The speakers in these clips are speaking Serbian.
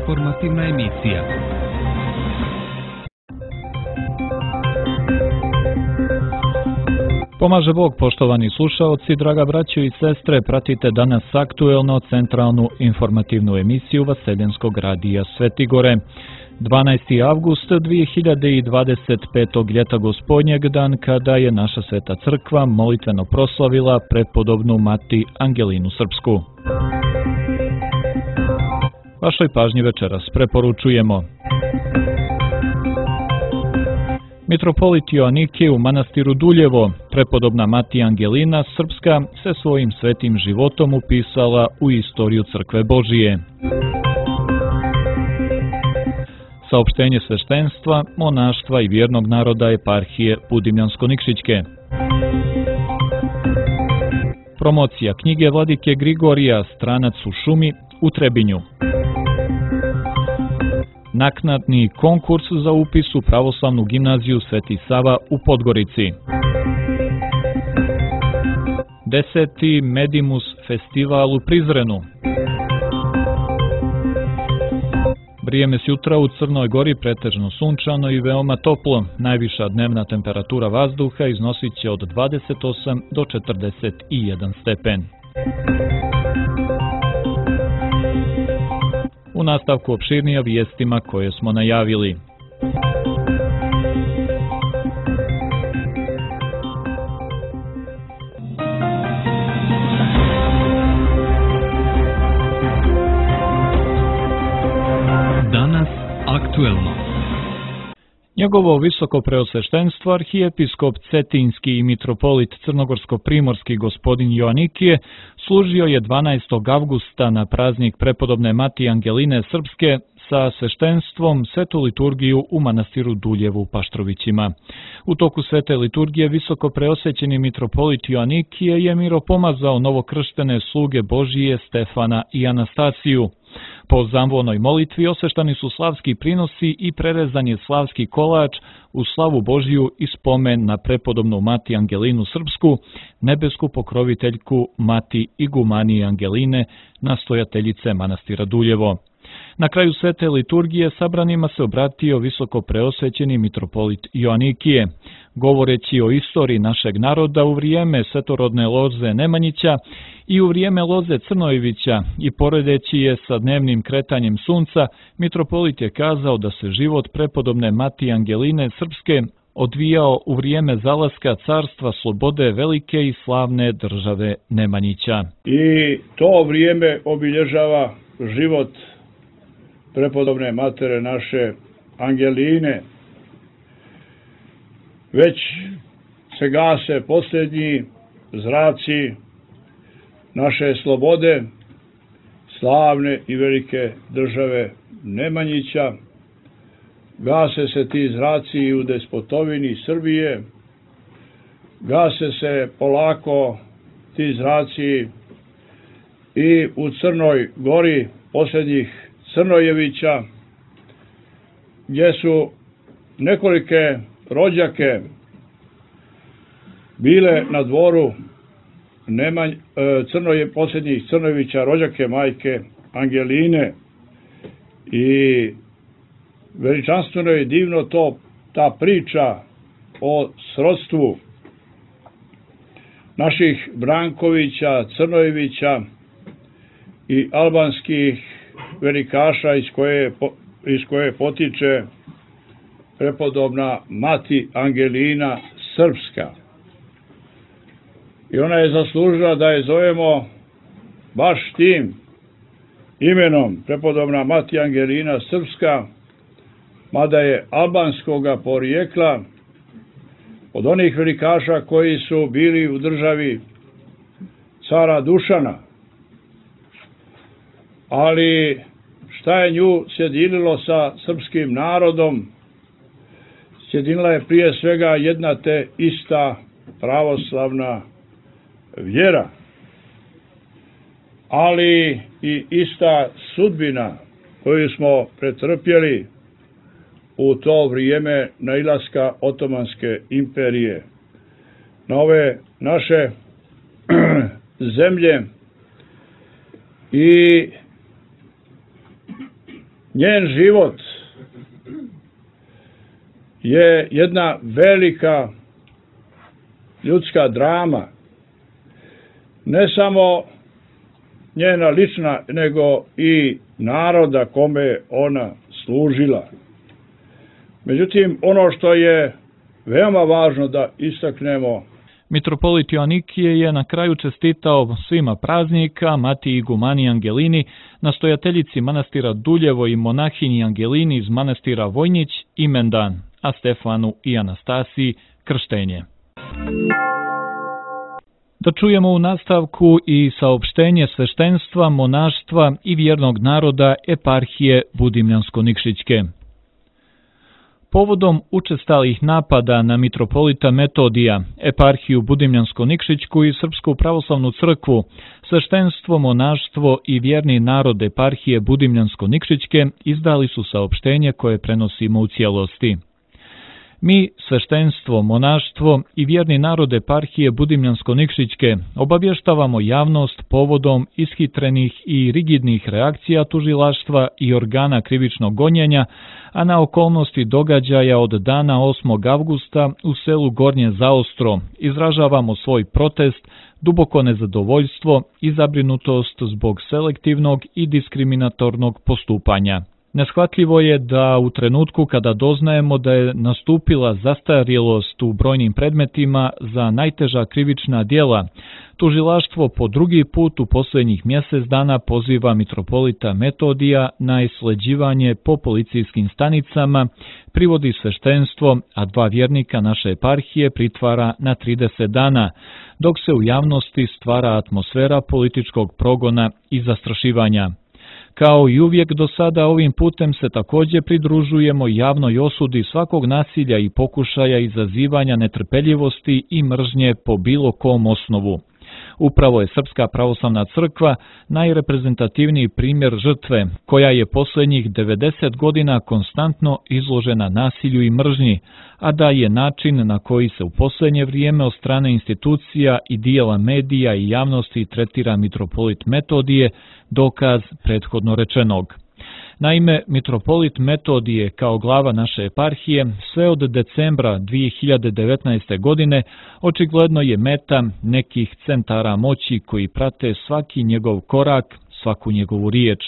Informativna emisija. Pomaže Bog, poštovani slušaoci, draga braćo i sestre, pratite danas aktuelno centralnu informativnu emisiju Vaseljenskog radija Svetigore. 12. avgust 2025. ljeta gospodnjeg, dan kada je naša sveta crkva molitveno proslavila prepodobnu mati Angelinu Srpsku. Vašoj pažnji večeras preporučujemo: Mitropolit Joanikije u manastiru Duljevo, prepodobna mati Angelina Srpska se svojim svetim životom upisala u istoriju Crkve Božije. Saopštenje sveštenstva, monaštva i vjernog naroda eparhije Budimljansko-Nikšićke. Promocija knjige vladike Grigorija Stranac u šumi u Trebinju. Naknadni konkurs za upis u pravoslavnu gimnaziju Sveti Sava u Podgorici. 10. Medimus festival u Prizrenu. Vrijeme s jutra u Crnoj Gori pretežno sunčano i veoma toplo. Najviša dnevna temperatura vazduha iznosit će od 28 do 41 stepen. U nastavku opširnije vijestima koje smo najavili. Danas aktuelno. Njegovo visoko preosveštenstvo arhijepiskop Cetinski i mitropolit Crnogorsko-primorski gospodin Joanikije služio je 12. avgusta na praznik prepodobne mati Angeline Srpske sa sveštenstvom svetu liturgiju u manastiru Duljevu u Paštrovićima. U toku svete liturgije visoko preosvećeni mitropolit Joanikije je miropomazao novokrštene sluge Božije Stefana i Anastasiju. Po zamvonoj molitvi osveštani su slavski prinosi i prerezan je slavski kolač u slavu Božiju i spomen na prepodobnu mati Angelinu Srpsku, nebesku pokroviteljku mati Igumanije Angeline, nastojateljice manastira Duljevo. Na kraju svete liturgije sabranima se obratio visoko preosvećeni mitropolit Joanikije. Govoreći o istoriji našeg naroda u vrijeme svetorodne loze Nemanjića i u vrijeme loze Crnojevića i poredeći je sa dnevnim kretanjem sunca, mitropolit je kazao da se život prepodobne mati Angeline Srpske odvijao u vrijeme zalaska carstva slobode velike i slavne države Nemanjića. I to vrijeme obilježava život prepodobne matere naše Angeline. Već se gase posljednji zraci naše slobode, slavne i velike države Nemanjića. Gase se ti zraci i u despotovini Srbije. Gase se polako ti zraci i u Crnoj Gori posljednjih Crnojevića, gdje su nekolike rođake bile na dvoru posljednjih Crnojevića, rođake majke Angeline. I veličanstveno je divno ta priča o srodstvu naših Brankovića, Crnojevića i albanskih velikaša iz koje potiče prepodobna mati Angelina Srpska. I ona je zaslužila da je zovemo baš tim imenom, prepodobna mati Angelina Srpska, mada je albanskoga porijekla, od onih velikaša koji su bili u državi cara Dušana. Ali šta je nju sjedinilo sa srpskim narodom? Sjedinila je prije svega jedna te ista pravoslavna vjera, ali i ista sudbina koju smo pretrpjeli u to vrijeme nailaska Otomanske imperije na ove naše zemlje i njen život je jedna velika ljudska drama. Ne samo njena lična, nego i naroda kome ona služila. Međutim, ono što je veoma važno da istaknemo, mitropolit Joanikije je na kraju čestitao svima praznika, Matiji Igumani Angelini, nastojateljici manastira Duljevo i monahinji Angelini iz manastira Vojnić imendan, a Stefanu i Anastasiji krštenje. Da čujemo u nastavku i saopštenje sveštenstva, monaštva i vjernog naroda eparhije Budimljansko-Nikšićke. Povodom učestalih napada na mitropolita Metodija, eparhiju Budimljansko-Nikšićku i Srpsku pravoslavnu crkvu, sveštenstvo, monaštvo i vjerni narod eparhije Budimljansko-Nikšićke izdali su saopštenje koje prenosimo u cijelosti. Mi, sveštenstvo, monaštvo i vjerni narod eparhije Budimljansko-Nikšićke, obavještavamo javnost povodom ishitrenih i rigidnih reakcija tužilaštva i organa krivičnog gonjenja, a na okolnosti događaja od dana 8. avgusta u selu Gornje Zaostro izražavamo svoj protest, duboko nezadovoljstvo i zabrinutost zbog selektivnog i diskriminatornog postupanja. Neshvatljivo je da u trenutku kada doznajemo da je nastupila zastarjelost u brojnim predmetima za najteža krivična djela, tužilaštvo po drugi put u posljednjih mjesec dana poziva mitropolita Metodija na isleđivanje po policijskim stanicama, privodi sveštenstvo, a 2 vjernika naše eparhije pritvara na 30 dana, dok se u javnosti stvara atmosfera političkog progona i zastrašivanja. Kao i uvijek do sada, ovim putem se također pridružujemo javnoj osudi svakog nasilja i pokušaja izazivanja netrpeljivosti i mržnje po bilo kom osnovu. Upravo je Srpska pravoslavna crkva najreprezentativniji primjer žrtve, koja je posljednjih 90 godina konstantno izložena nasilju i mržnji, a da je način na koji se u posljednje vrijeme od strane institucija i dijela medija i javnosti tretira mitropolit Metodije dokaz prethodno rečenog. Naime, mitropolit Metodije kao glava naše eparhije sve od decembra 2019. godine očigledno je meta nekih centara moći koji prate svaki njegov korak, svaku njegovu riječ.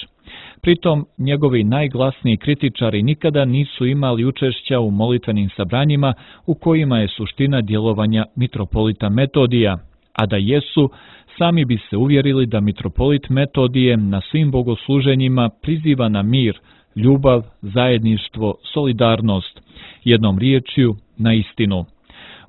Pritom, njegovi najglasniji kritičari nikada nisu imali učešća u molitvenim sabranjima u kojima je suština djelovanja mitropolita Metodija, a da jesu, sami bi se uvjerili da mitropolit Metodije na svim bogosluženjima priziva na mir, ljubav, zajedništvo, solidarnost, jednom riječju na istinu.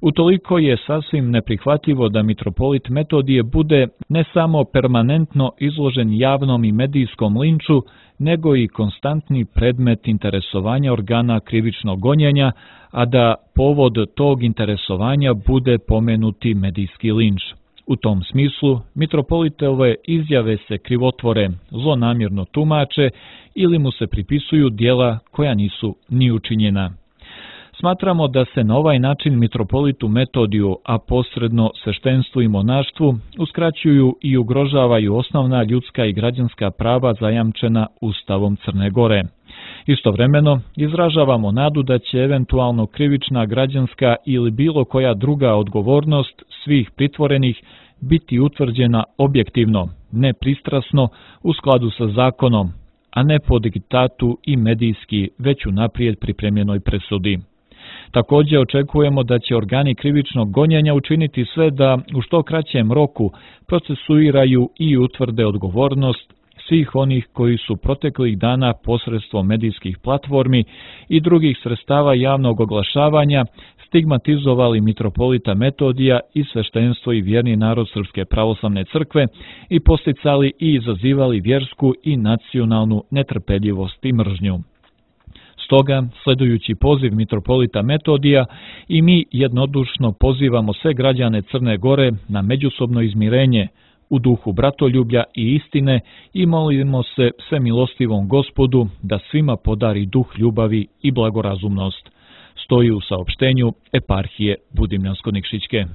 Utoliko je sasvim neprihvatljivo da mitropolit Metodije bude ne samo permanentno izložen javnom i medijskom linču, nego i konstantni predmet interesovanja organa krivičnog gonjenja, a da povod tog interesovanja bude pomenuti medijski linč. U tom smislu, mitropolitove izjave se krivotvore, zlonamjerno tumače ili mu se pripisuju djela koja nisu ni učinjena. Smatramo da se na ovaj način mitropolitu Metodiju, a posredno sveštenstvu i monaštvu, uskraćuju i ugrožavaju osnovna ljudska i građanska prava zajamčena Ustavom Crne Gore. Istovremeno, izražavamo nadu da će eventualno krivična, građanska ili bilo koja druga odgovornost svih pritvorenih biti utvrđena objektivno, nepristrasno, u skladu sa zakonom, a ne po diktatu i medijski već unaprijed pripremljenoj presudi. Također očekujemo da će organi krivičnog gonjenja učiniti sve da u što kraćem roku procesuiraju i utvrde odgovornost svih onih koji su proteklih dana posredstvom medijskih platformi i drugih sredstava javnog oglašavanja stigmatizovali mitropolita Metodija i sveštenstvo i vjerni narod Srpske pravoslavne crkve i posticali i izazivali vjersku i nacionalnu netrpeljivost i mržnju. Stoga, sledujući poziv mitropolita Metodija, i mi jednodušno pozivamo sve građane Crne Gore na međusobno izmirenje u duhu bratoljublja i istine i molimo se svemilostivom Gospodu da svima podari duh ljubavi i blagorazumnost. Stoji u saopštenju eparhije Budimljansko-Nikšićke.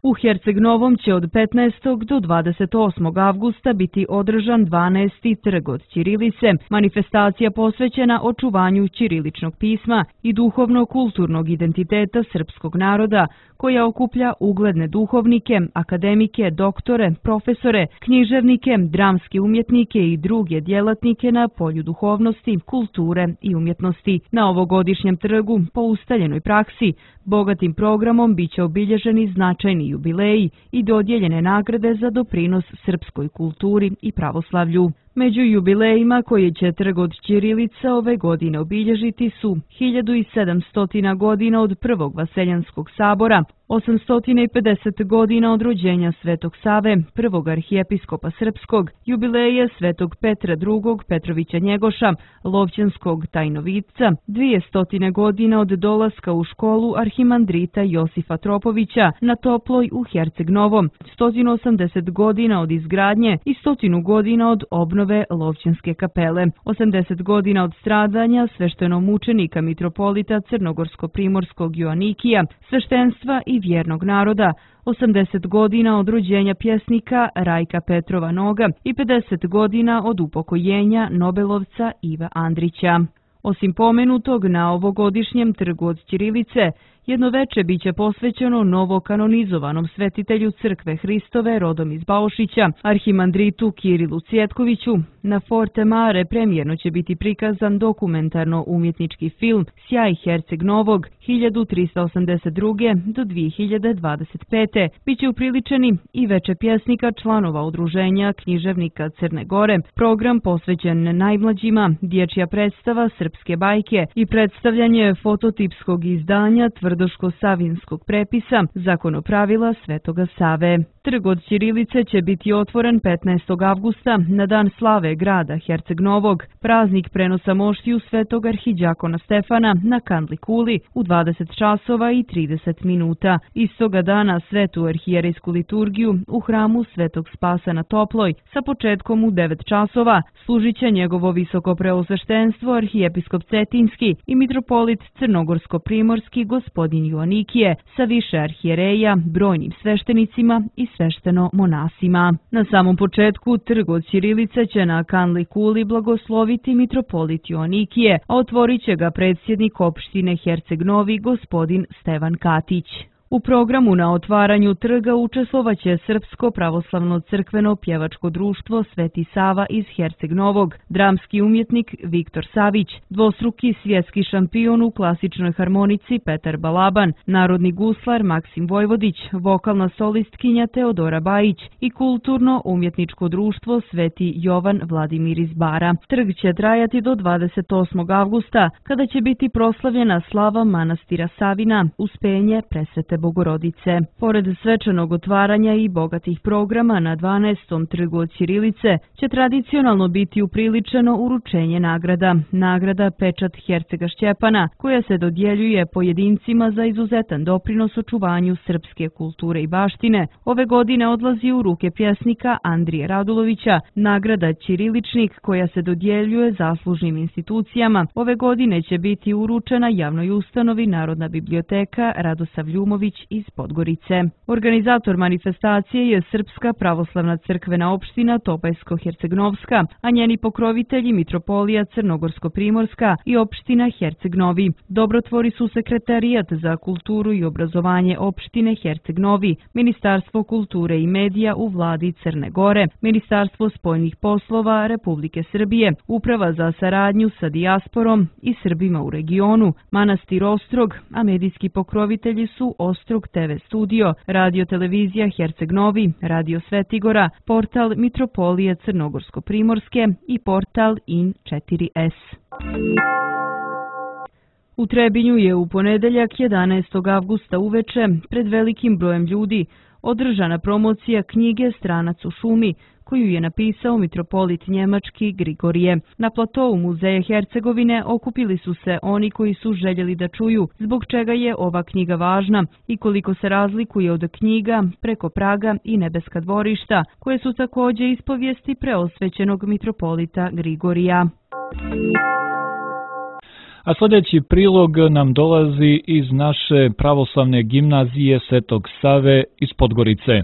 U Herceg-Novom će od 15. do 28. avgusta biti održan 12. trg od ćirilice, manifestacija posvećena očuvanju ćiriličnog pisma i duhovno-kulturnog identiteta srpskog naroda, koja okuplja ugledne duhovnike, akademike, doktore, profesore, književnike, dramske umjetnike i druge djelatnike na polju duhovnosti, kulture i umjetnosti. Na ovogodišnjem trgu, po ustaljenoj praksi, bogatim programom biće obilježeni značajni jubileji i dodijeljene nagrade za doprinos srpskoj kulturi i pravoslavlju. Među jubilejima koje će trg od ćirilica ove godine obilježiti su 1700 godina od prvog Vaseljanskog sabora, 850 godina od rođenja Svetog Save, prvog arhijepiskopa srpskog, jubileje Svetog Petra II. Petrovića Njegoša, Lovćanskog tajnovitca, 200 godina od dolaska u školu arhimandrita Josifa Tropovića na Toploj u Herceg-Novom, 180 godina od izgradnje i 100 godina od obnove Lovćanske kapele, 80 godina od stradanja sveštenomučenika mitropolita Crnogorsko-Primorskog Joanikija, sveštenstva i vjernog naroda, 80 godina od rođenja pjesnika Rajka Petrova Noga i 50 godina od upokojenja Nobelovca Iva Andrića. Osim pomenutog, na ovogodišnjem trgu od ćirilice jedno veče biće posvećeno novokanonizovanom svetitelju Crkve Hristove rodom iz Baušića, arhimandritu Kirilu Cvjetkoviću. Na Forte Mare premijerno će biti prikazan dokumentarno-umjetnički film Sjaj Herceg-Novog 1382. do 2025. Biće upriličeni i veče pjesnika članova udruženja književnika Crne Gore, program posvećen najmlađima, dječja predstava Srpske bajke i predstavljanje fototipskog izdanja Tvrdoško-Savinskog prepisa Zakonopravila Svetoga Save. Trg od ćirilice će biti otvoren 15. avgusta na dan slave grada Herceg-Novog, praznik prenosa moštiju Svetog arhidjakona Stefana na Kandli kuli u 20 časova i 30 minuta. Istoga dana svetu arhijerejsku liturgiju u hramu Svetog Spasa na Toploj sa početkom u 9 časova služit će njegovo visoko preosveštenstvo arhijepiskop Cetinski i mitropolit Crnogorsko-Primorski gospodin Joanikije sa više arhijereja, brojnim sveštenicima i svešteno monasima. Na samom početku trg od ćirilice će na Kanli kuli blagosloviti mitropolit Joanikije, a otvorit će ga predsjednik opštine Herceg-Novi gospodin Stevan Katić. U programu na otvaranju trga učestvovaće Srpsko pravoslavno crkveno pjevačko društvo Sveti Sava iz Herceg-Novog, dramski umjetnik Viktor Savić, dvostruki svjetski šampion u klasičnoj harmonici Petar Balaban, narodni guslar Maksim Vojvodić, vokalna solistkinja Teodora Bajić i kulturno-umjetničko društvo Sveti Jovan Vladimir iz Bara. Trg će trajati do 28. avgusta, kada će biti proslavljena slava manastira Savina, Uspenje Presvete Bogorodice. Pored svečanog otvaranja i bogatih programa na 12. trgu od ćirilice će tradicionalno biti upriličeno uručenje nagrada. Nagrada Pečat Hercega Šćepana, koja se dodjeljuje pojedincima za izuzetan doprinos očuvanju srpske kulture i baštine, ove godine odlazi u ruke pjesnika Andrije Radulovića. Nagrada Ćiriličnik, koja se dodjeljuje zaslužnim institucijama, ove godine će biti uručena javnoj ustanovi Narodna biblioteka Radosav Ljumović iz Podgorice. Organizator manifestacije je Srpska pravoslavna crkvena opština Topajsko-Hercegnovska, a njeni pokrovitelji mitropolija Crnogorsko-Primorska i opština Herceg-Novi. Dobrotvori su Sekretarijat za kulturu i obrazovanje opštine Herceg-Novi, Ministarstvo kulture i medija u vladi Crne Gore, Ministarstvo spoljnih poslova Republike Srbije, Uprava za saradnju sa dijasporom i Srbima u regionu, manastir Ostrog, a medijski pokrovitelji su Ostrog TV studio, Radio televizija Herceg-Novi, Radio Svetigora, portal Mitropolije Crnogorsko-Primorske i portal IN4S. U Trebinju je u ponedeljak 11. avgusta uveče pred velikim brojem ljudi održana promocija knjige Stranac u šumi, koju je napisao mitropolit njemački Grigorije. Na platou Muzeja Hercegovine okupili su se oni koji su željeli da čuju zbog čega je ova knjiga važna i koliko se razlikuje od knjiga Preko praga i Nebeska dvorišta, koje su također ispovijesti preosvećenog mitropolita Grigorija. A sljedeći prilog nam dolazi iz naše pravoslavne gimnazije Svetog Save iz Podgorice.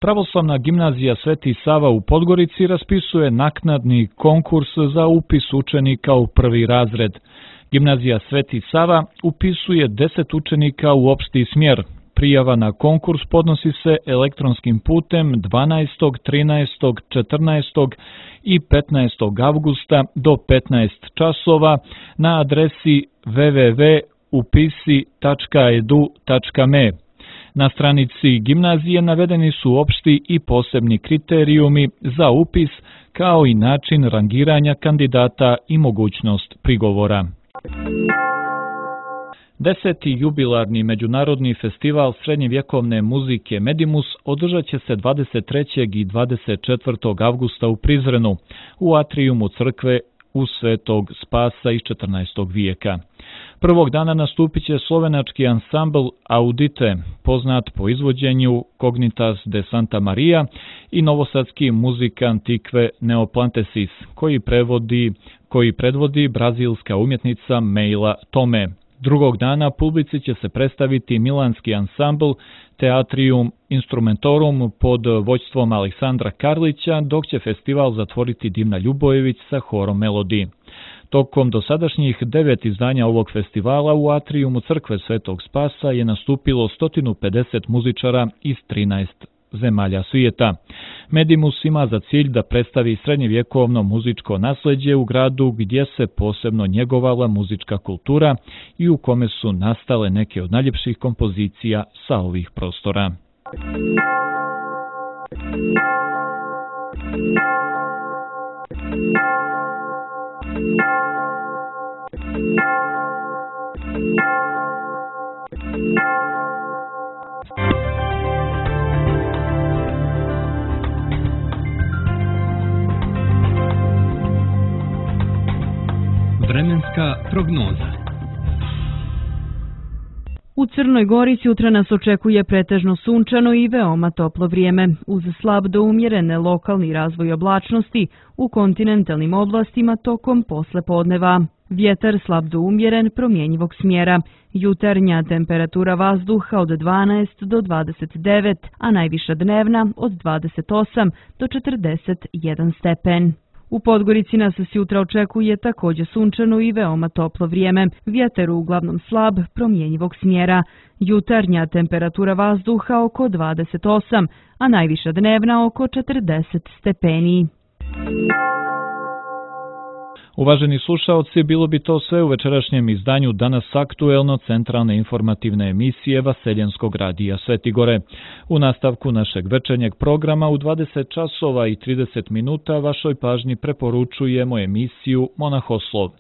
Pravoslavna gimnazija Sveti Sava u Podgorici raspisuje naknadni konkurs za upis učenika u prvi razred. Gimnazija Sveti Sava upisuje 10 učenika u opšti smjer. Prijava na konkurs podnosi se elektronskim putem 12., 13., 14. i 15. avgusta do 15 časova na adresi www.upisi.edu.me. Na stranici gimnazije navedeni su opšti i posebni kriterijumi za upis, kao i način rangiranja kandidata i mogućnost prigovora. 10. jubilarni međunarodni festival srednjevjekovne muzike Medimus održat će se 23. i 24. avgusta u Prizrenu, u atrijumu crkve u Svetog Spasa iz 14. vijeka. Prvog dana nastupit će slovenački ansambl Audite, poznat po izvođenju Cognitas de Santa Maria, i novosadski muzikant Tikve Neoplantesis, koji predvodi brazilska umjetnica Meila Tome. Drugog dana publici će se predstaviti milanski ansambl Teatrium Instrumentorum pod vođstvom Aleksandra Karlića, dok će festival zatvoriti Dimna Ljubojević sa horom Melodi. Tokom dosadašnjih 9 izdanja ovog festivala u atrijumu crkve Svetog Spasa je nastupilo 150 muzičara iz 13 zemalja svijeta. Medimus ima za cilj da predstavi srednjevjekovno muzičko nasleđe u gradu gdje se posebno njegovala muzička kultura i u kome su nastale neke od najljepših kompozicija sa ovih prostora. Vremenska prognoza. U Crnoj Gori sutra nas očekuje pretežno sunčano i veoma toplo vrijeme, uz slab do umjerene lokalni razvoj oblačnosti u kontinentalnim oblastima tokom poslepodneva. Vjetar slab do umjeren promjenjivog smjera. Jutarnja temperatura vazduha od 12 do 29, a najviša dnevna od 28 do 41 stepen. U Podgorici nas sutra očekuje također sunčano i veoma toplo vrijeme, vjetar uglavnom slab, promjenjivog smjera. Jutarnja temperatura vazduha oko 28, a najviša dnevna oko 40 stepeni. Uvaženi slušaoci, bilo bi to sve u večerašnjem izdanju Danas aktuelno centralne informativne emisije Vaseljenskog radija Svetigore. U nastavku našeg večernjeg programa u 20 časova i 30 minuta vašoj pažnji preporučujemo emisiju Monahoslov.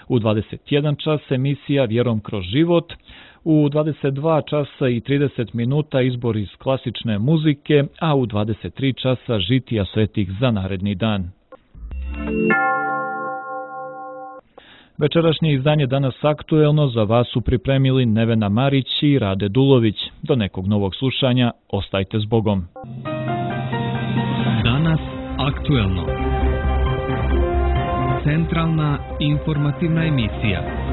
U 21 čas emisija Vjerom kroz život, u 22 časa i 30 minuta izbor iz klasične muzike, a u 23 časa žitija svetih za naredni dan. Večerašnje izdanje Danas aktuelno za vas su pripremili Nevena Marić i Rade Dulović. Do nekog novog slušanja, ostajte s Bogom. Danas aktuelno. Centralna informativna emisija.